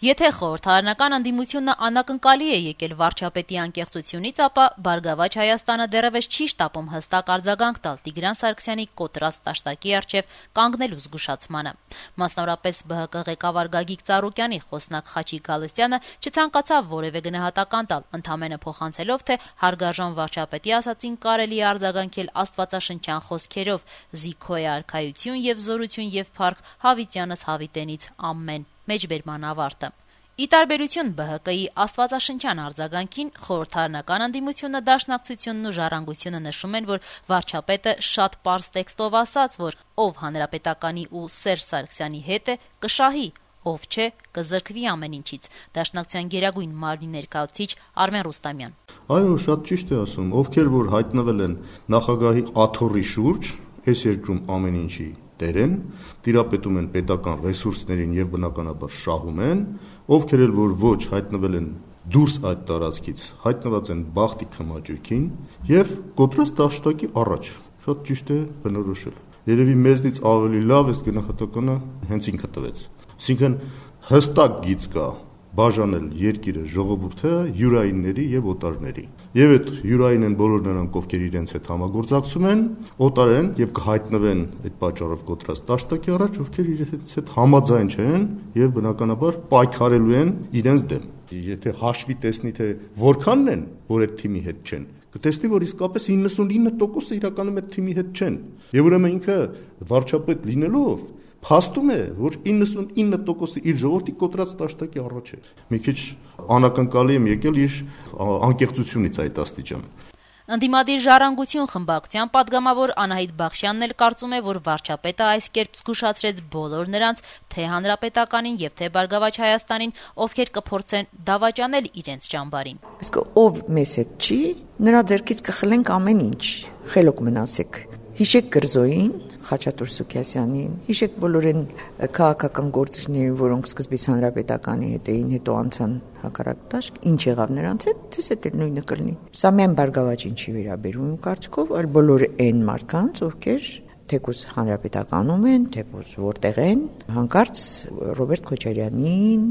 Եթե խորհրդարանական ընդդիմությունը անակնկալի է եկել վարչապետի անկեղծությունից, ապա «Բարգավաճ Հայաստանը» դեռևս չի շտապում հստակ արձագանք տալ Տիգրան Սարգսյանի կոտրած տաշտակի առջև կանգնելու զգուշացմանը։ Մասնավորապես ԲՀԿ ղեկավար Գագիկ Ծառուկյանի խոսնակ Խաչիկ Գալստյանը չցանկացավ որևէ գնահատական տալ, ընդամենը փոխանցելով, թե հարգարժան վարչապետի ասածին կարելի է արձագանքել աստվածաշնչյան խոսքերով՝ «Զիգո է արքայություն եւ զորություն եւ փառք, հավիտյանս հավիտենից ամեն» մեջբերման ավարտը։ Ի տարբերություն ԲՀԿ-ի աստվածաշնչյան արձագանքին, խորհրդարանական ընդդիմությունը, Դաշնակցությունն ու Ժառանգությունը նշում են, որ վարչապետը շատ պարզ տեքստով ասաց, որ ով Հանրապետականի ու Սերժ Սարգսյանի հետ է, կշահի, ով չէ, կզրկվի ամեն ինչից։ Դաշնակցության գերագույն մարմնի ներկայացուցիչ Արմեն Ռուստամյան. Այո, շատ ճիշտ է ասում, ովքեր որ հայտնվել են նախագահի աթոռի շուրջ, այս երկրում ամեն ինչի տեր են, տիրապետում են պետական ռեսուրսներին եւ բնականաբար շահում են, ովքեր էլ որ ոչ հայտնվել են դուրս այդ տարածքից, հայտնված են բախտի քմաճույքին եւ կոտրած դաշտակի առաջ։ Շատ ճիշտ է բնորոշել։ Երևի մեզնից ավելի լավ այս գնահատականը հենց ինքը տվեց։ Այսինքն հստակ գիծ կա բաժանել երկիրը ժողովուրդը յուրայինների եւ օտարների։ Եվ այդ յուրային են բոլոր նրանք, ովքեր իրենց հետ համագործակցում են, օտար են եւ կհայտնվեն այդ պատճառով կոտրած դաշտակի առաջ, ովքեր իրենց հետ համաձայն չեն եւ բնականաբար պայքարելու են իրենց դեմ։ Եթե հաշվի տեսնի, թե որքանն են, որ այդ թիմի հետ չեն, կտեսնի, որ իսկապես 99%-ը իրականում այդ թիմի հետ չեն։ Եվ ուրեմն ինքը վարչապետ լինելով փաստում է, որ 99%-ը իր ժողովրդի կոտրած դաշտակի առաջ է։ Մի քիչ անակնկալի եմ եկել իր անկեղծությունից այդ աստիճան։ Ընդդիմադիր Ժառանգություն խմբակցության պատգամավոր Անահիտ Բախշյանն էլ կարծում է, որ վարչապետը այս կերպ զգուշացրեց բոլոր նրանց, թե Հանրապետականին եւ թե Բարգավաճ Հայաստանին, ովքեր կփորձեն դավաճանել իրենց ճամբարին։ Իսկ ով մեզ հետ չի, նրա ձեռքից կխլենք ամեն ինչ։ Խելոք մնացեք։ Հիշեք Կրզոյին, Խաչատուր Սուքիասյանին, հիշեք բոլոր այն քաղաքական գործիչներին, որոնք սկզբից Հանրապետականի հետ էին, հետո անցան հակառակ դաշտ, ինչ եղավ նրանց հետ, դες էլ նույնը կլինի։ Սա միայն Բարգավաճին չի վերաբերում կարծիքով, այլ բոլոր այն մարդկանց, ովքեր թեկուզ Հանրապետականում են, թեկուզ որտեղ են, հանկարծ Ռոբերտ Քոչարյանին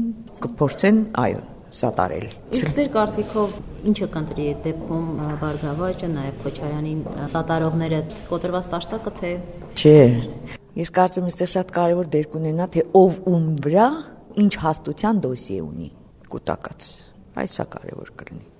կփորձեն, այո, սատարել։ Իսկ ձեր կարծիքով ինչը կընտրի այդ դեպքում Բարգավաճը, նաև Քոչարյանին սատարողները կոտրված տաշտակը, թե չէ։ Ես կարծում եմ, այստեղ շատ կարևոր դեր կունենա, թե ով ում վրա ինչ հաստության դոսիե ունի կուտակած։ Այս է կարևոր կլինի։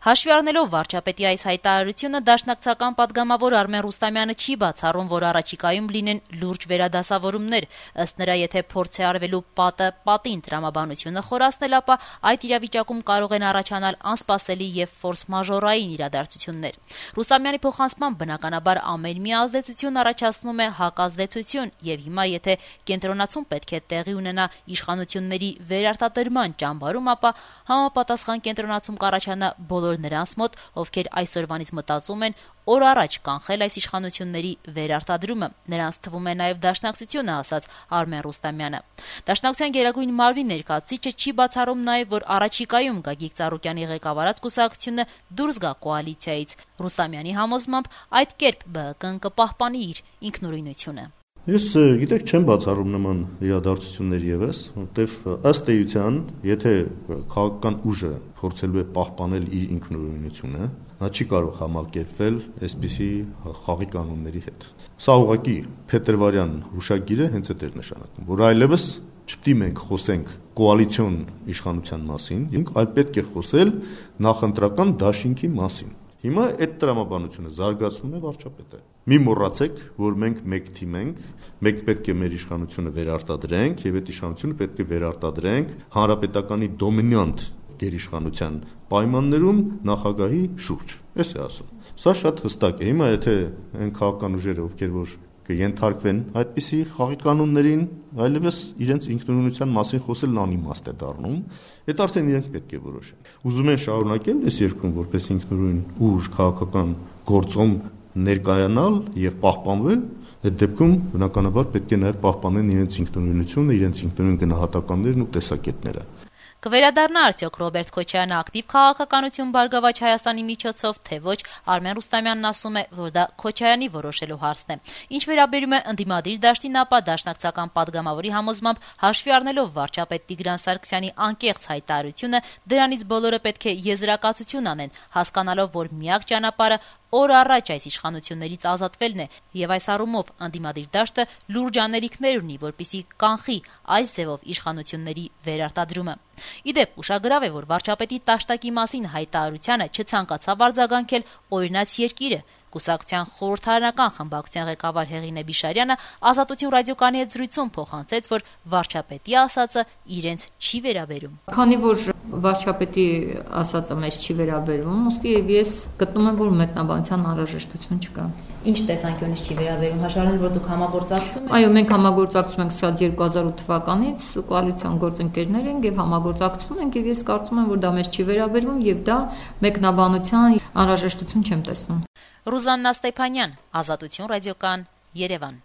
Հաշվի առնելով վարչապետի այս հայտարարությունը, դաշնակցական պատգամավոր Արմեն Ռուստամյանը չի բացառում, որ առաջիկայում լինեն լուրջ վերադասավորումներ։ Ըստ նրա, եթե փորձ է արվելու պատը պատին տրամաբանությունը խորացնել, ապա այդ իրավիճակում կարող են առաջանալ անսպասելի եւ ֆորս-մաժորային իրադարձություններ։ Ռուստամյանի փոխանցմամբ, բնականաբար ամեն մի ազդեցություն առաջացնում է հակազդեցություն, եւ հիմա եթե կենտրոնացում պետք է տեղի ունենա իշխանությունների վերարտադրման ճամբարում, ապա համապատասխան կենտրոնացում կառաջանա բոլոր նրանց մոտ, ովքեր այսօրվանից մտածում են օր առաջ կանխել այս իշխանությունների վերարտադրումը։ Նրանց թվում է նաև Դաշնակցությունը, ասաց Արմեն Ռուստամյանը։ Դաշնակցության գերագույն մարմնի ներկայացուցիչը չի բացառում նաև, որ առաջիկայում Գագիկ Ծառուկյանի ղեկավարած կուսակցությունը դուրս գա կոալիցիայից։ Ռուստամյանի համոզմամբ այդ կերպ ԲՀԿ-ն կպահպանի իր ինքնուրույնությունը։ Ես գիտեք չեմ բացառում նման իրադարձություններ եւս, որտեվ ըստ էության, եթե քաղաքական ուժը փորձելու է պահպանել իր ինքնուրույնությունը, նա չի կարող համակերպվել այսպիսի խաղի կանոնների հետ։ Սա ուղղակի փետրվարյան հուշագիրը հենց այդ էր նշանակում, որ այլևս չպետք է մենք խոսենք կոալիցիոն իշխանության մասին, այլ պետք է խոսել նախընտրական դաշինքի մասին։ Հիմա այդ տրամաբանությունը զարգացնում է վարչապետը։ Մի մոռացեք, որ մենք մեկ թիմ ենք, մենք պետք է մեր իշխանությունը վերարտադրենք եւ այդ իշխանությունը պետք է վերարտադրենք հանրապետականի դոմինանտ գերիշխանության պայմաններում նախագահի շուրջ։ Էս է ասում։ Սա շատ հստակ է։ Հիմա եթե այն քաղաքական ուժերը, ովքեր որ կենթարկվեն այդպիսի խաղի կանոններին, այլևս իրենց ինքնուրույնության մասին խոսելն անիմաստ է դառնում, այդ արդեն իրենք պետք է որոշեն։ Ուզում են շարունակել այս երկրում որպես ինքնուրույն ուժ քաղաքական գործում ներկայանալ եւ պահպանվել, այդ դեպքում բնականաբար պետք է նաեւ պահպանեն իրենց ինքնուրույնությունը, իրենց ինքնուրույն գնահատականներն ու տեսակետները։ Կվերադառնա արդյոք Ռոբերտ Քոչարյանը ակտիվ քաղաքականություն Բարգավաճ Հայաստանի միջոցով, թե ոչ, Արմեն Ռուստամյանն ասում է, որ դա Քոչարյանի որոշելու հարցն է։ Ինչ վերաբերում է ընդդիմադիր դաշտին, ապա դաշնակցական падգամավորի համոզմամբ, հաշվի առնելով վարչապետ Տիգրան Սարգսյանի անկեղծ հայտարարությունը, դրանից բոլորը պետք է եզրակացություն անեն, հասկանալով, որ միակ ճանապարհը օր առաջ այս իշխանություններից ազատվելն է, եւ այս առումով ընդդիմադիր դաշտը լուրջ անելիքներ ունի, որպեսզի կանխի այս ձևով իշխանությունների վերարտադրումը։ Իդեպ ուշագրավ է, որ վարչապետի տաշտակի մասին հայտարարությանը չցանկացավ արձագանքել օրինաց երկիրը։ Կուսակցության խորհրդարանական խմբակցության ղեկավար Հեղինե Բիշարյանը Ազատություն ռադիոկայանի հետ զրույցում փոխանցեց, որ վարչապետի ասածը իրենց չի վերաբերում։ Քանի որ վարչապետի ասածը մեզ չի վերաբերում, ուստի ես գտնում եմ, որ մեկնաբանության անհրաժեշտություն չկա։ Ինչ տեսանկյունից չի վերաբերում, հաշվառել, որ դուք համագործակցում եք։ Այո, մենք համագործակցում ենք սա 2008 թվականից, կոալիցիոն գործընկերներ ենք եւ համագործակցում ենք, եւ ես կարծում եմ, որ դա մեզ չի վերաբերում եւ դա մեկնաբանության անհրաժեշտություն չեմ տեսնում։ Ռուզաննա Ստեփանյան, Ազատություն ռադիոկան, Երևան։